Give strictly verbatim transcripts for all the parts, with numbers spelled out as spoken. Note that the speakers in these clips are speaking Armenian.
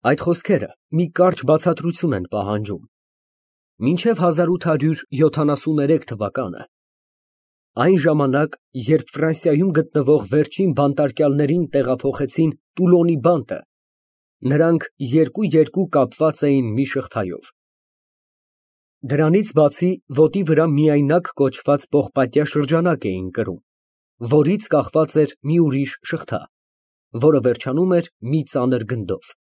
Այդ խոսքերը մի կարճ բացատրություն են պահանջում։ Մինչև հազար ութ հարյուր յոթանասուներեք թվականը, այն ժամանակ, երբ Ֆրանսիայում գտնվող վերջին բանտարկյալներին տեղափոխեցին Տուլոնի բանտը, նրանք երկու֊երկու կապված էին մի շղթայով։ Դրանից բացի ոտի վրա միայնակ կոչված պողպատյա շրջանակ էին կրում, որից կախված էր մի ուրիշ շղթա, որը վերջանում էր մի ծանր գնդով։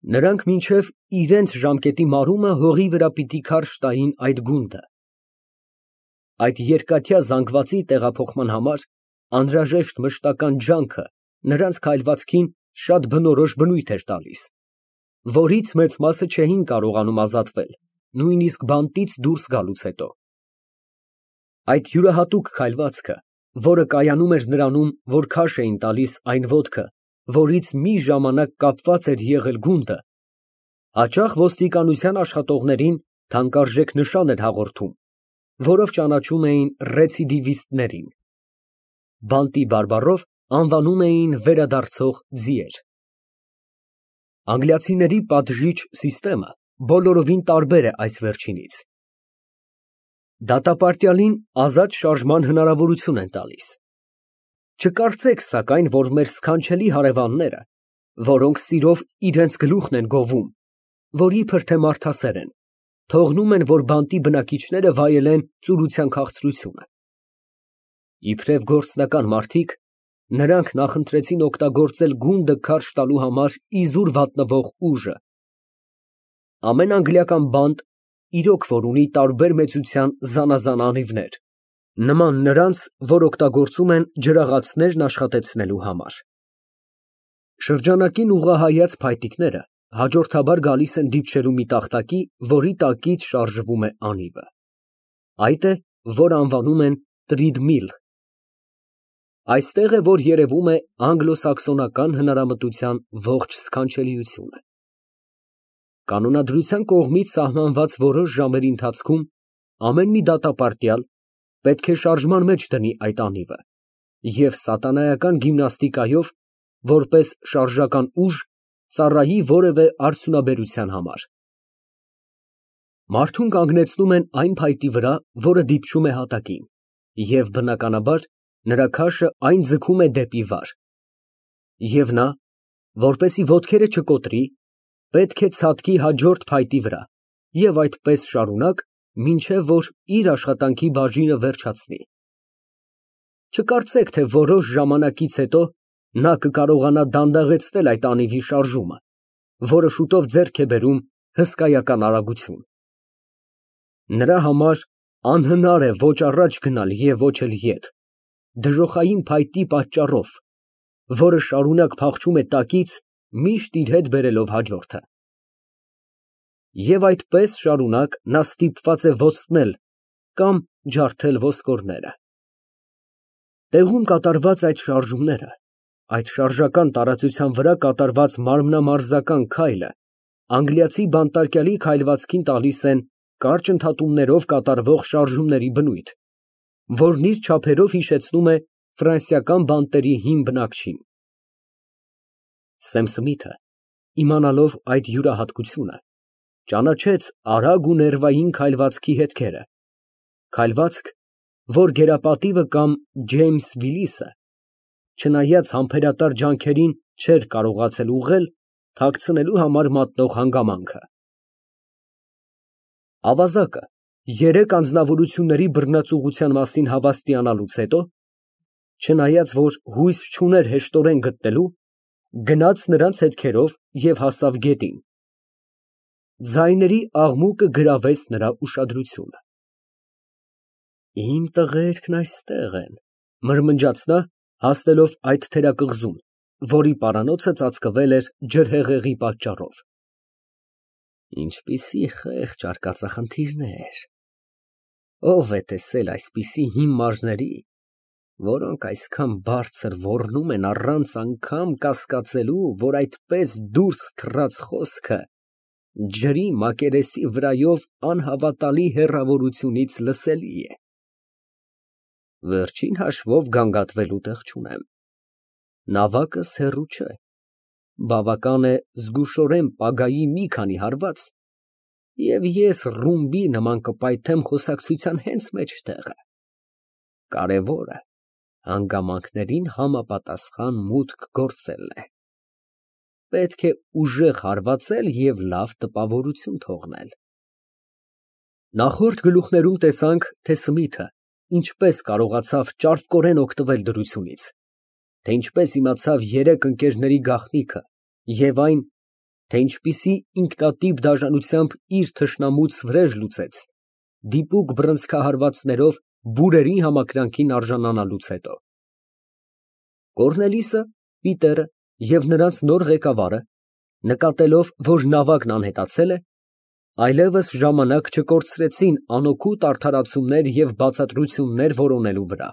Նրանք մինչև իրենց ժամկետի մարումը հողի վրա պիտի քարշ տային այդ գունդը։ Այդ երկաթյա զանգվածի տեղափոխման համար անհրաժեշտ մշտական ջանքը նրանց քայլվածքին շատ բնորոշ բնույթ էր տալիս, որից մեծ մասը չէին կարողանում ազատվել, նույնիսկ բանտից դուրս գալուց հետո։ Այդ յուրահատուկ քայլվածքը, որը կայանում էր նրանում, որ քարշ էին տալիս այն ոտքը, որից մի ժամանակ կապված էր եղել գունդը, հաճախ ոստիկանության աշխատողներին թանկարժեք նշան էր հաղորդում, որով ճանաչում էին ռեցիդիվիստներին։ Բանտի բարբառով անվանում էին վերադարձող ձիեր։ Անգլիացիների պատժիչ սիստեմը բոլորովին տարբեր է այս վերջինից։ Դատապարտյալին ազատ շարժման հնարավորություն են տալիս։ Չկարծեք, սակայն, որ մեր սքանչելի հարևանները, որոնք սիրով իրենց գլուխն են գովում, որ իբր թե մարդասեր են, թողնում են, որ բանտի բնակիչները վայելեն ծուլության քաղցրությունը։ Իբրև գործնական մարդիկ, նրանք նախընտրեցին օգտագործել գունդը քարշ տալու համար իզուր վատնվող ուժը։ Ամեն անգլիական բանտ իրոք որ ունի տարբեր մեծության զանազան անիվներ, նման նրանց, որ օգտագործում են ջրաղացներն աշխատեցնելու համար։ Շրջանակին ուղղահայաց փայտիկները հաջորդաբար գալիս են դիպչելու մի տախտակի, որի տակից շարժվում է անիվը։ Այդ է, որ անվանում են տրիդմիլ։ Այստեղ է, որ երևում է անգլոսաքսոնական հնարամտության ողջ սքանչելիությունը։ Կանոնադրության կողմից սահմանված որոշ ժամերի ընթացքում ամեն մի դատապարտյալ պետք է շարժման մեջ դնի այդ անիվը և սատանայական գիմնաստիկայով, որպես շարժական ուժ, ծառայի որևէ արդյունաբերության համար։ Մարդուն կանգնեցնում են այն փայտի վրա, որը դիպչում է հատակին, և բնականաբար նրա քաշը այն ձգում է դեպի վար։ Եվ նա, որպեսզի ոտքերը չկոտրի, պետք է ցատկի հաջորդ փայտի վրա և այդպես շարունակ, մինչև որ իր աշխատանքի բաժինը վերջացնի։ Չկարծեք, թե որոշ ժամանակից հետո նա կկարողանա դանդաղեցնել այդ անիվի շարժումը, որը շուտով ձեռք է բերում հսկայական արագություն։ Նրա համար անհնար է ոչ առաջ գնալ և ոչ էլ ետ, դժոխային փայտի պատճառով, որը շարունակ փախչում է տակից, միշտ իր հետ բերելով հաջորդը։ Եվ այդպես շարունակ նա ստիպված է ոցնել կամ ջարդել ոսկորները։ Տեղում կատարված այդ շարժումները, այդ շարժական տարածության վրա կատարված մարմնամարզական քայլը անգլիացի բանտարկյալի քայլվածքին տալիս են կարճ ընդհատումներով կատարվող շարժումների բնույթ, որն իր չափերով հիշեցնում է ֆրանսիական բանտերի հին բնակչին։ Սեմ Սմիթը, իմանալով այդ յուրահատկությունը, ճանաչեց արագ ու ներվային քայլվածքի հետքերը, քայլվածք, որ գերապատիվը կամ Ջեյմս Վիլիսը, չնայած համբերատար ջանքերին, չէր կարողացել ուղղել թաքցնելու համար մատնող հանգամանքը։ Ավազակը երեք անձնավորությունների բռնացուղության մասին հավաստիանալուց հետո, չնայած որ հույս չուներ հեշտորեն գտնելու, գնաց նրանց հետքերով և հասավ գետին։ Ձայների աղմուկը գրավեց նրա ուշադրությունը։ Իմ տղերքն այստեղ են, մրմնջաց նա, հասնելով այդ թերակղզուն, որի պարանոցը ծածկվել էր ջրհեղեղի պատճառով։ Ինչպիսի խեղճ արկածախնդիրներ, ո՞վ է տեսել այսպիսի հիմարների, որոնք այսքան բարձր ոռնում են առանց անգամ կասկածելու, որ այդպես դուրս թռած խոսքը ջրի մակերեսի վրայով անհավատալի հեռավորությունից լսելի է։ Վերջին հաշվով գանգատվելու տեղ չունեմ, նավակս հեռու չէ, Բավական է զգուշորեն պագայի մի քանի հարված, և ես ռումբի նման կպայթեմ խոսակցության հենց մեջտեղը, կարևորը հանգամանքներին համապատասխան մուտք գործելն է, պետք է ուժեղ հարվածել և լավ տպավորություն թողնել։ Նախորդ գլուխներում տեսանք, թե Սմիթը ինչպես կարողացավ ճարպկորեն օգտվել դրությունից, թե ինչպես իմացավ երեք ընկերների գաղտնիքը և այն, թե ինչպիսի ինքնատիպ դաժանությամբ իր թշնամուց վրեժ լուծեց, դիպուկ բռնցքահարվածներով բուրերի համակրանքին արժանանալուց հետո։ Կոռնելիսը, Պիտերը և նրանց նոր ղեկավարը, նկատելով, որ նավակն անհետացել է, այլևս ժամանակ չկորցրեցին անօգուտ արդարացումներ և բացատրություններ որոնելու վրա։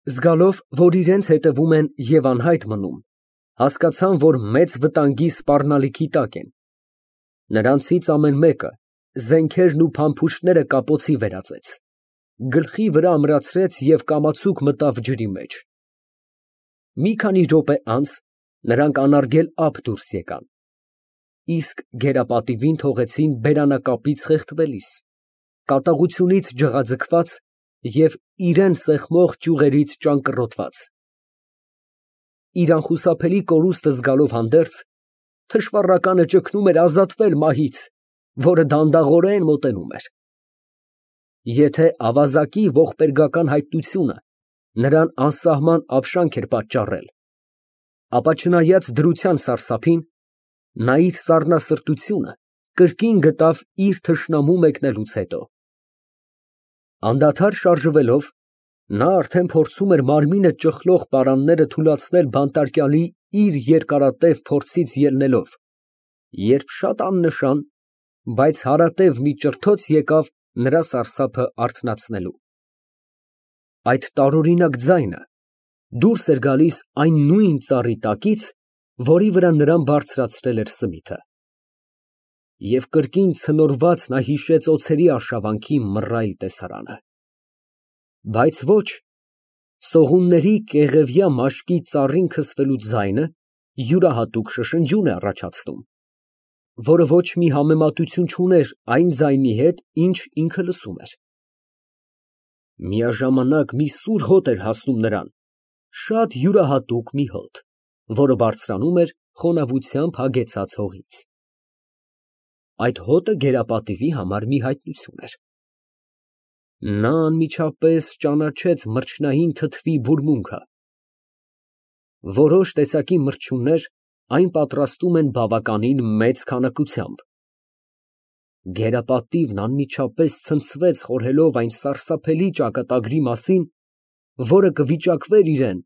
Զգալով, որ իրենց հետևում են և անհայտ մնում, հասկացան, որ մեծ վտանգի սպառնալիքի տակ են. նրանցից ամեն մեկը զենքերն ու փամփուշտները կապոցի վերածեց, գլխի վրա ամրացրեց և կամացուկ մտավ ջրի մեջ։ Մի քանի րոպե անց նրանք անարգել ափ դուրս եկան, իսկ գերապատիվին թողեցին բերանակապից խեղդվելիս, կատաղությունից ջղաձգված և իրան սեղմող ճյուղերից ճանկռոտված։ Իր անխուսափելի կորուստը զգալով հանդերձ, թշվառականը ճգնում էր ազատվել մահից, որը դանդաղորեն մոտենում էր։ Եթե ավազակի ողբերգական հայտնությունը նրան անսահման ապշանք էր պատճառել, ապա չնայած դրության սարսափին, նա իր սառնասրտությունը կրկին գտավ իր թշնամու մեկնելուց հետո։ Անդադար շարժվելով, նա արդեն փորձում էր մարմինը ճխլող պարանները թուլացնել բանտարկյալի իր երկարատև փորձից ելնելով, երբ շատ աննշան, բայց հարատև մի ճրթոց եկավ նրա սարսափը արթնացնելու։ Այդ տարօրինակ ձայնը դուրս էր գալիս այն նույն ծառի տակից, որի վրա նրան բարձրացրել էր Սմիթը։ Եվ կրկին ցնորված նա հիշեց օձերի արշավանքի մռայլ տեսարանը։ Բայց ոչ, սողունների կեղևյա մաշկի ծառին քսվելու ձայնը յուրահատուկ շշնջյուն է առաջացնում, որը ոչ մի համեմատություն չուներ այն ձայնի հետ, ինչ ինքը լսում էր։ Միաժամանակ մի սուր հոտ էր հասնում նրան, շատ յուրահատուկ մի հոտ, որը բարձրանում էր խոնավությամբ հագեցած հողից։ Այդ հոտը գերապատիվի համար մի հայտնություն էր։ Նա անմիջապես ճանաչեց մրջնային թթվի բուրմունքը։ Որոշ տեսակի մրջյուններ այն պատրաստում են բավականին մեծ քանակությամբ։ Գերապատիվն անմիջապես ցնցվեց խորհելով այն սարսափելի ճակատագրի մասին, որը կվիճակվեր իրան,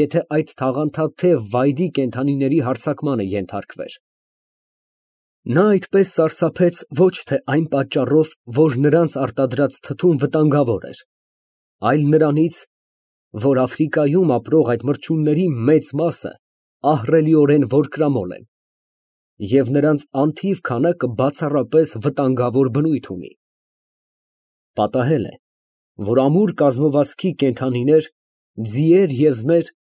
եթե այդ թաղանթաթև վայրի կենդանիների հարձակմանը ենթարկվեր։ Նա այդպես սարսափեց ոչ թե այն պատճառով, որ նրանց արտադրած թթուն վտանգավոր էր, այլ նրանից, որ Աֆրիկայում ապրող այդ մրջյունների մեծ մասը ահռելիորեն որկրամոլ են, և նրանց անթիվ քանակը բացառապես վտանգավոր բնույթ ունի։ Պատահել է, որ ամուր կազմվածքի կենդանիներ, ձիեր, եզներ,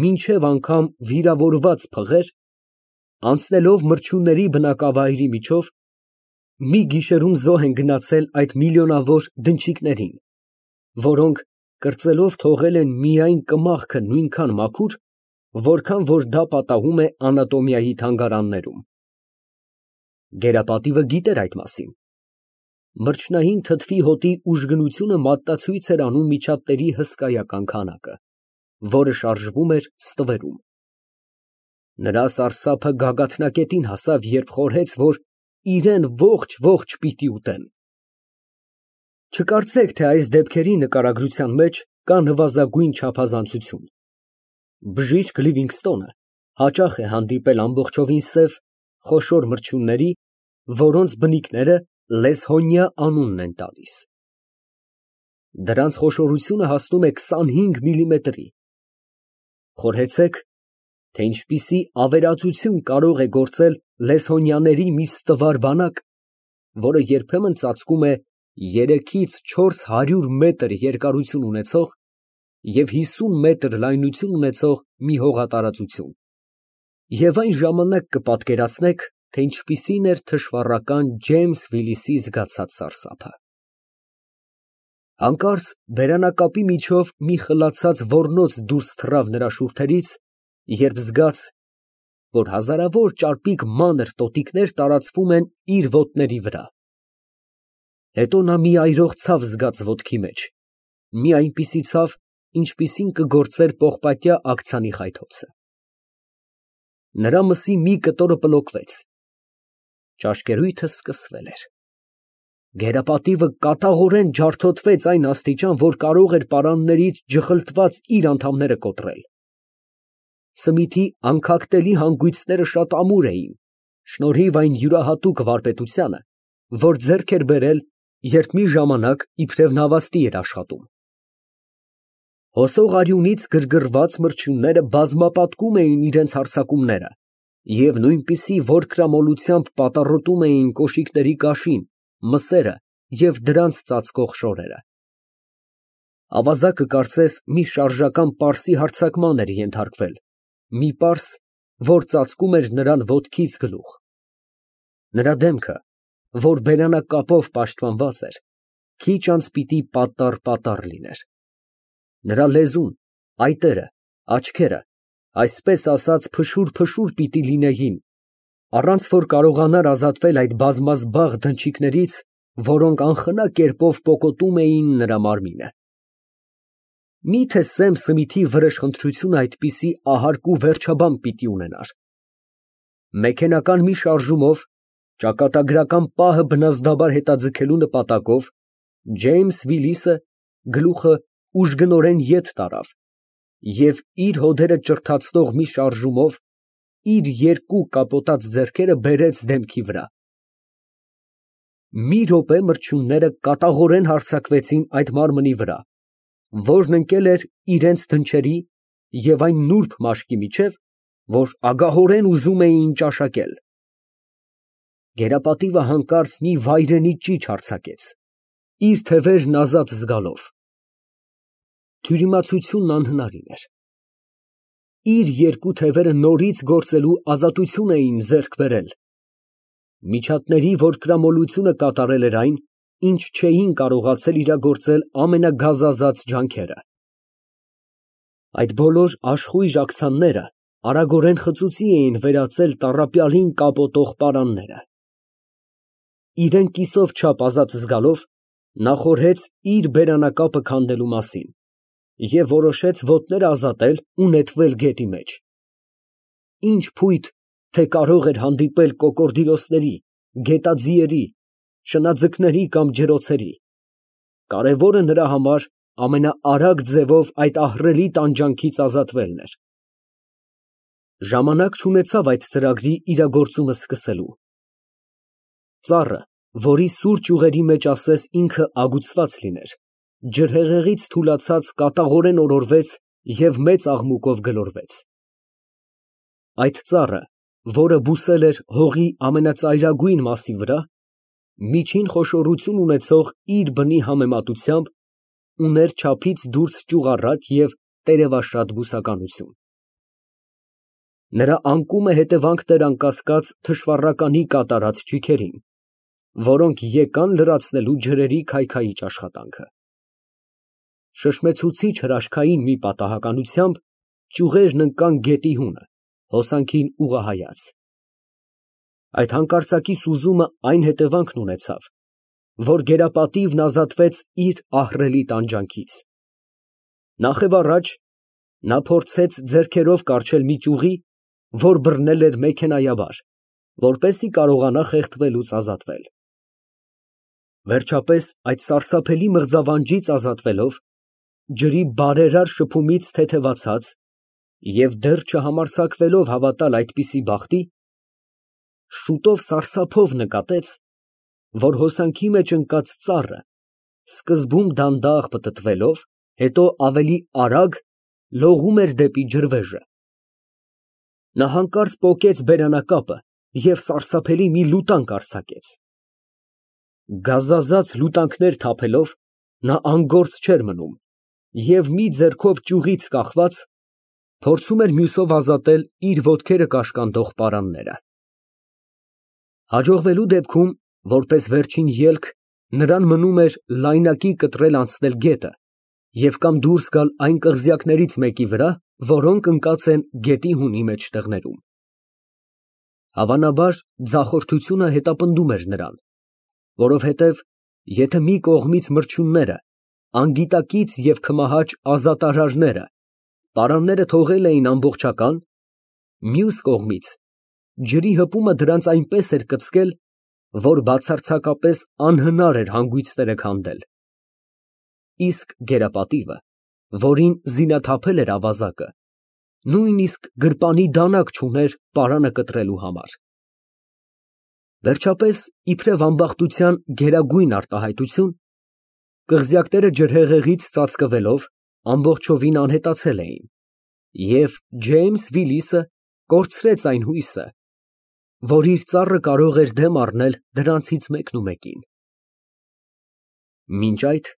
մինչև անգամ վիրավորված փղեր, անցնելով մրջյունների բնակավայրի միջով, մի գիշերում զոհ են գնացել այդ միլիոնավոր դնչիկներին, որոնք կրծելով թողել են միայն կմախքը նույնքան մաքուր, որքան որ դա պատահում է անատոմիայի թանգարաններում։ Գերապատիվը գիտեր այդ մասին։ Մրջնային թթվի հոտի ուժգնությունը մատնացույց էր անում միջատների հսկայական քանակը, որը շարժվում էր ստվերում։ Նրա սարսափը գագաթնակետին հասավ, երբ խորհեց, որ իրան ողջ֊ողջ պիտի ուտեն։ Չկարծեք, թե այս դեպքերի նկարագրության մեջ կա նվազագույն չափազանցություն։ Բժիշկ Լիվինգստոնը հաճախ է հանդիպել ամբողջովին սև, խոշոր մրջյունների, որոնց բնիկները լեսհոնիա անունն են տալիս։ Դրանց խոշորությունը հասնում է քսանհինգ միլիմետրի։ Խորհեցեք, թե ինչպիսի ավերածություն կարող է գործել լեսհոնյաների մի ստվար բանակ, որը երբեմն ծածկում է երեքից չորս հարյուր մետր երկարություն ունեցող և հիսուն մետր լայնություն ունեցող մի հողատարածություն։ Եվ այն ժամանակ կպատկերացնեք, թե ինչպիսին էր թշվառական Ջեյմս Վիլիսի զգացած սարսափը։ Հանկարծ բերանակապի միջով մի խլացած ոռնոց դուրս թռավ նրա շուրթերից, երբ զգաց, որ հազարավոր ճարպիկ մանր տոտիկներ տարածվում են իր ոտների վրա։ Հետո նա մի այրող ցավ զգաց ոտքի մեջ, մի այնպիսի ցավ, ինչպիսին կգործեր պողպատյա աքցանի խայթոցը։ Նրա մսի մի կտորը պլոկվեց, ճաշկերույթը սկսվել էր։ Գերապատիվը կատաղորեն ջարդոտվեց այն աստիճան, որ կարող էր պարաններից ջխլտված իր անդամները կոտրել։ Սմիթի անքակտելի հանգույցները շատ ամուր էին, շնորհիվ այն յուրահատուկ վարպետությանը, որ ձեռք էր բերել, երբ մի ժամանակ իբրև նավաստի էր աշխատում։ Հոսող արյունից գրգռված մրջյունները բազմապատկում էին իրենց հարձակումները և նույնպիսի որքրամոլությամբ պատառոտում էին կոշիկների կաշին, մսերը և դրանց ծածկող շորերը։ Ավազակը կարծես մի շարժական պարսի հարձակման էր ենթարկվել, մի պարս, որ ծածկում էր նրան ոտքից գլուխ։ Նրա դեմքը, որ բերանակապով պաշտպանված էր, քիչ անց պիտի պատառ֊պատառ լիներ։ Նրա լեզուն, այտերը, աչքերը, այսպես ասած, փշուր֊փշուր պիտի լինեին, առանց որ կարողանար ազատվել այդ բազմազբաղ դնչիկներից, որոնք անխնա կերպով պոկոտում էին նրա մարմինը։ Մի՞թե Սեմ Սմիթի վրեժխնդրությունը այդպիսի ահարկ ու վերջաբան պիտի ունենար։ Մեքենական մի շարժումով, ճակատագրական պահը բնազդաբար հետաձգելու նպատակով, Ջեյմս Վիլիսը գլուխը ուժգնորեն ետ տարավ և իր հոդերը ճրթացնող մի շարժումով իր երկու կապոտած ձեռքերը բերեց դեմքի վրա։ Մի րոպե մրջյունները կատաղորեն հարձակվեցին այդ մարմնի վրա, որն ընկել էր իրենց դնչերի և այն նուրբ մաշկի միջև, որ ագահորեն ուզում էին ճաշակել։ Գերապատիվը հանկարծ մի վայրենի ճիչ արձակեց, իր թևերն ազատ զգալով։ Թյուրիմացությունն անհնարին էր։ Իր երկու թևերը նորից գործելու ազատություն էին ձեռք բերել։ Միջատների որկրամոլությունը կատարել էր այն, ինչ չէին կարողացել իրագործել ամենագազազած ջանքերը։ Այդ բոլոր աշխույժ աքցանները արագորեն խծուծի էին վերածել տառապյալին կապոտող պարանները։ Իրան կիսով չափ ազատ զգալով, նա խորհեց իր բերանակապը քանդելու մասին և որոշեց ոտները ազատել ու նետվել գետի մեջ։ Ինչ փույթ, թե կարող էր հանդիպել կոկորդիլոսների, գետաձիերի, շնաձկների կամ ջրոցերի, կարևորը նրա համար ամենաարագ ձևով այդ ահռելի տանջանքից ազատվելն էր։ Ժամանակ չունեցավ այդ ծրագրի իրագործումը սկսելու։ Ծառը, որի սուր ճյուղերի մեջ ասես ինքը ագուցված լիներ, ջրհեղեղից թուլացած կատաղորեն օրորվեց և մեծ աղմուկով գլորվեց։ Այդ ծառը, որը բուսել էր հողի ամենածայրագույն մասի վրա, միջին խոշորություն ունեցող իր բնի համեմատությամբ, ուներ չափից դուրս ճյուղառակ և տերևաշատ բուսականություն։ Նրա անկումը հետևանքն էր անկասկած թշվառականի կատարած ճիգերին, որոնք եկան լրացնելու ջրերի քայքայիչ աշխատանքը։ Շշմեցուցիչ հրաշքային մի պատահականությամբ ճյուղերն ընկան գետի հունը, հոսանքին ուղղահայաց։ Այդ հանկարծակի սուզումը այն հետևանքն ունեցավ, որ գերապատիվն ազատվեց իր ահռելի տանջանքից։ Նախևառաջ նա փորձեց ձեռքերով կառչել մի ճյուղի, որ բռնել էր մեքենայաբար, որպեսզի կարողանա խեղդվելուց ազատվել։ Վերջապես այդ սարսափելի մղձավանջից ազատվելով, ջրի բարերար շփումից թեթևացած և դեռ չհամարձակվելով հավատալ այդպիսի բախտի, շուտով սարսափով նկատեց, որ հոսանքի մեջ ընկած ծառը սկզբում դանդաղ պտտվելով, հետո ավելի արագ լողում էր դեպի ջրվեժը։ Նա հանկարծ պոկեց բերանակապը և սարսափելի մի լուտանք արձակեց։ Գազազած լուտանքներ թափելով, նա անգործ չէր մնում և մի ձեռքով ճյուղից կախված, Փորձում էր մյուսով ազատել իր ոտքերը կաշկանդող պարանները։ Հաջողվելու դեպքում, որպես վերջին ելք, նրան մնում էր լայնակի կտրել անցնել գետը և կամ դուրս գալ այն կղզյակներից մեկի վրա, որոնք ընկած են գետի հունի մեջտեղներում։ Հավանաբար, ձախորդությունը հետապնդում էր նրան, որովհետև եթե մի կողմից մրջյունները, անգիտակից և քմահաճ ազատարարները պարանները թողել էին ամբողջական, մյուս կողմից ջրի հպումը դրանց այնպես էր կծկել, որ բացարձակապես անհնար էր հանգույցները քանդել։ Իսկ գերապատիվը, որին զինաթափել էր ավազակը, նույնիսկ գրպանի դանակ չուներ պարանը կտրելու համար։ Վերջապես, իբրև ամբախտության գերագույն արտահայտություն, կղզյակները ջրհեղեղից ծածկվելով ամբողջովին անհետացել էին, և Ջեյմս Վիլիսը կորցրեց այն հույսը, որ իր ծառը կարող էր դեմ առնել դրանցից մեկնումեկին։ Մինչ այդ,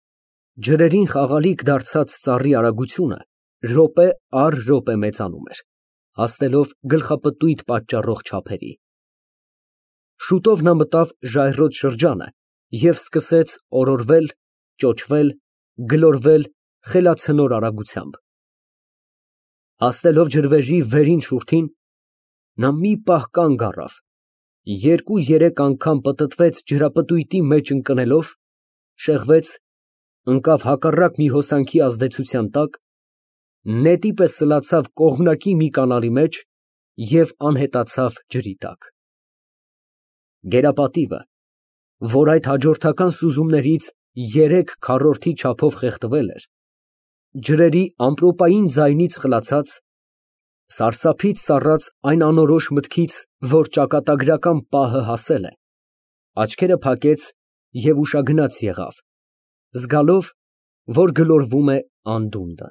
ջրերին խաղալիք դարձած ծառի արագությունը րոպե առ րոպե մեծանում էր, հասնելով գլխապտույտ պատճառող չափերի։ Շուտով նա մտավ ժայռոտ շրջանը և սկսեց օրորվել, ճոճվել, գլորվել խելացնոր արագությամբ։ Հասնելով ջրվեժի վերին շուրթին, նա մի պահ կանգ առավ, երկու֊երեք անգամ պտտվեց ջրապտույտի մեջ ընկնելով, շեղվեց, ընկավ հակառակ մի հոսանքի ազդեցության տակ, նետի պես սլացավ կողմնակի մի կանալի մեջ և անհետացավ ջրի տակ։ Գերապատիվը, որ այդ հաջորդական սուզումներից երեք քառորդի չափով խեղդվել էր, ջրերի ամպրոպային ձայնից խլացած, սարսափից սառած այն անորոշ մտքից, որ ճակատագրական պահը հասել է, աչքերը փակեց և ուշագնաց եղավ, զգալով, որ գլորվում է անդունդը։